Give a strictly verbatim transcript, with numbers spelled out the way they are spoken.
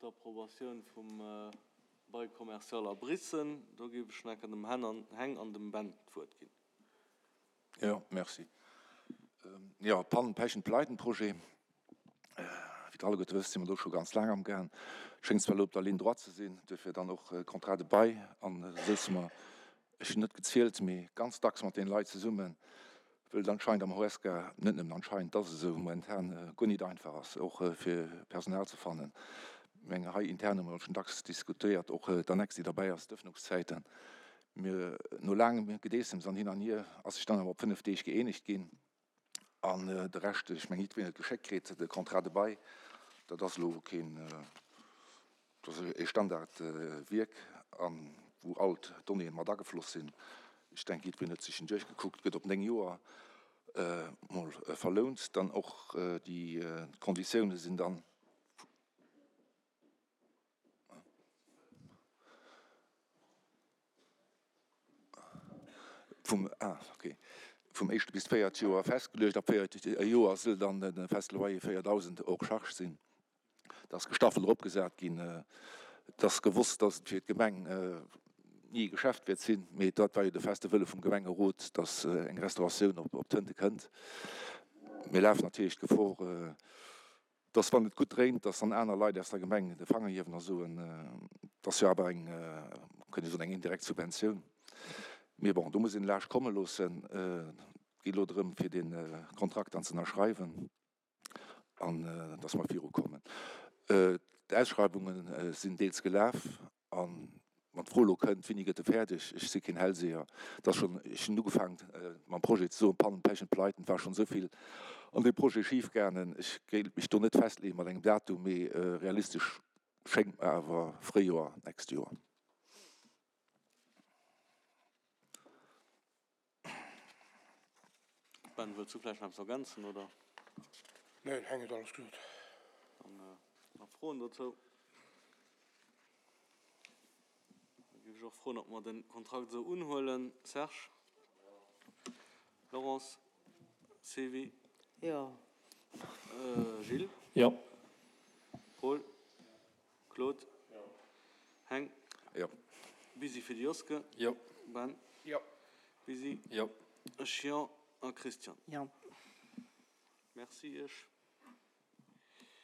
d'Approbatioun vum Bail commercial a Biissen. Do géif ech nach dem Heng an dem Ben d'Wuert ginn. Jo, merci. Jo, Pannen-, Pechen-, Pleiten-Projet. Wéi Der alleguerte wësst, si mer do scho ganz laang amgaang. Schéngt zwar elo op der Ligne droite ze sinn, duerfir dann och Contrat de bail. An da souze mer, ech hunn net gezielt, mee ganz dacks mat deene Leit zesummen, wëll et anscheinend am Horesca, net nëmmen anscheinend, et ass esou, momentan guer nit einfach ass, och fir Personal ze fannen. Ech menge hei intern hu mer schonn dacks diskutéiert, och d'Annex, déi derbäi ass, d'Ëffnungszäiten. Mir, no laangem Gedeessems an hin an hier, ass sech dann awer op fënnef Deeg gëeenegt ginn. An de Rescht, ech mengen, jiddwereen huet geschéckt kritt, de Contrat de bail, dat ass elo keen, dat ass e Standardwierk, a wou all d'Donnéeën mat agefloss sinn. Ech denken, jiddwereen huet sech en duerchgekuckt, gëtt op néng Joer mol verlount. Dann och déi Konditiounen sinn dann. Vum, ah, okay, vum éischte bis d'véiert Joer festgeluecht. Ab véiert Joer soll dann de feste Loyer véierdausend hors charge sinn. Dat ass gestaffelt eropgesat ginn. Et ass gewosst, dass et fir d'Gemeng ni e Geschäft wäert sinn, mee dat war jo de feste Wëlle vum Gemengerot, dass eng Restauratioun op d'Tënte kënnt. Mir lafen natierlech d'Gefor, dass wann et gutt dréint, dass dann aner Leit aus der Gemeng de Fanger hiewen a soen, et ass jo awer eng, kënnt ee soen, eng indirekt Subventioun. Mee bon, do muss een laascht komme loossen. Et geet elo drëm, fir dee Kontrakt dann ze ënnerschreiwen an dass mer virukommen. D'Ausschreiwunge sinn deels gelaf an Wann d'Fro elo kënnt, Wéini gëtt e fäerdeg? Ech si keen Hellseher. Et ass schonn, ech hunn ugefaangen mam Projet ze soen, Pannen, Pechen, Pleiten, et war schonn esou vill an deem Projet schifgaangen. Ech géif mech do net festleeë mat engem Datum, mee realistesch schéngt mer awer Fréijoer nächst Joer. Ben, wëlls du vläicht nach eppes ergänzen, oder? Nee, den Heng huet alles gesot. Dann nach Froen dozou? Da géif ech och froen, ob mer de Kontrakt esou unhuelen. Serge? Laurence? Sylvie? Jo. Gilles? Jo. Paul? Claude? Jo. Heng? Jo. Busy fir de Joske? Jo. Ben? Jo. Busy? Jo. Ech jo. A Christian? Jo. Merci Iech.